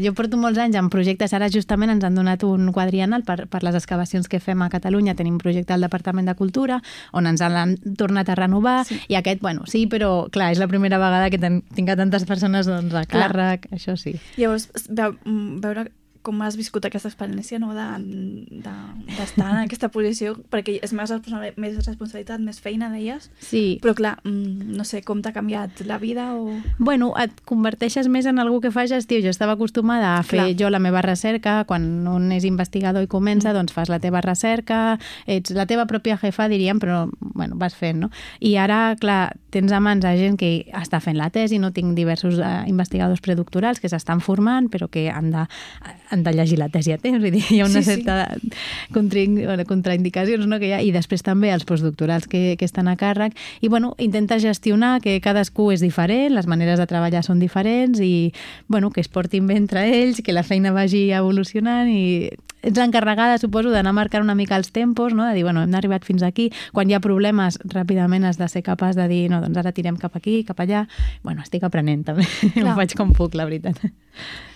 Jo porto molts anys en projectes, ara justament ens han donat un quadriennal per les excavacions que fem a Catalunya, tenim un projecte al Departament de Cultura on ens l'han tornat a renovar i aquest, bueno, sí, però clar, és la primera vegada que tinc a tantes persones a càrrec, això sí. Llavors, veure com has viscut aquesta experiència, no?, d'estar en aquesta posició, perquè és més responsabilitat, més feina, deies? Sí. Però clar, no sé, com t'ha canviat la vida o... Bueno, et converteixes més en algú que fa gestió. Jo estava acostumada a fer jo la meva recerca, quan un és investigador i comença, doncs fas la teva recerca, ets la teva pròpia jefa, diríem, però bueno, vas fent, no? I ara, clar, tens a mans a gent que està fent la tesi, no tinc diversos investigadors predoctorals que s'estan formant, però que han de llegir la tesi a temps, vull dir, hi ha una certa contraindicacions, no?, que hi ha, i després també els postdoctorals que estan a càrrec, i bueno, intenta gestionar que cadascú és diferent, les maneres de treballar són diferents i bueno, que es portin bé entre ells, que la feina vagi evolucionant i ets l'encarregada, suposo, d'anar marcant una mica els tempos, no?, de dir, bueno, hem arribat fins aquí, quan hi ha problemes ràpidament has de ser capaç de dir, no, doncs ara tirem cap aquí, cap allà, bueno, estic aprenent també, ho faig com puc, la veritat.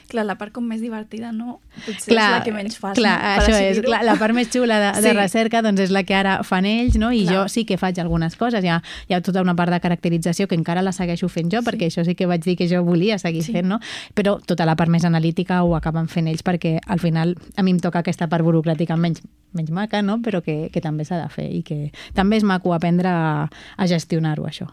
Clar, la part com més divertida, no? Potser és la que menys fas. Clar, això és. La part més xula de recerca doncs és la que ara fan ells, no? I jo sí que faig algunes coses. Hi ha tota una part de caracterització que encara la segueixo fent jo, perquè això sí que vaig dir que jo volia seguir fent, no? Però tota la part més analítica ho acaben fent ells perquè al final a mi em toca aquesta part burocràtica menys maca, no? Però que també s'ha de fer i que també és maco aprendre a gestionar-ho, això.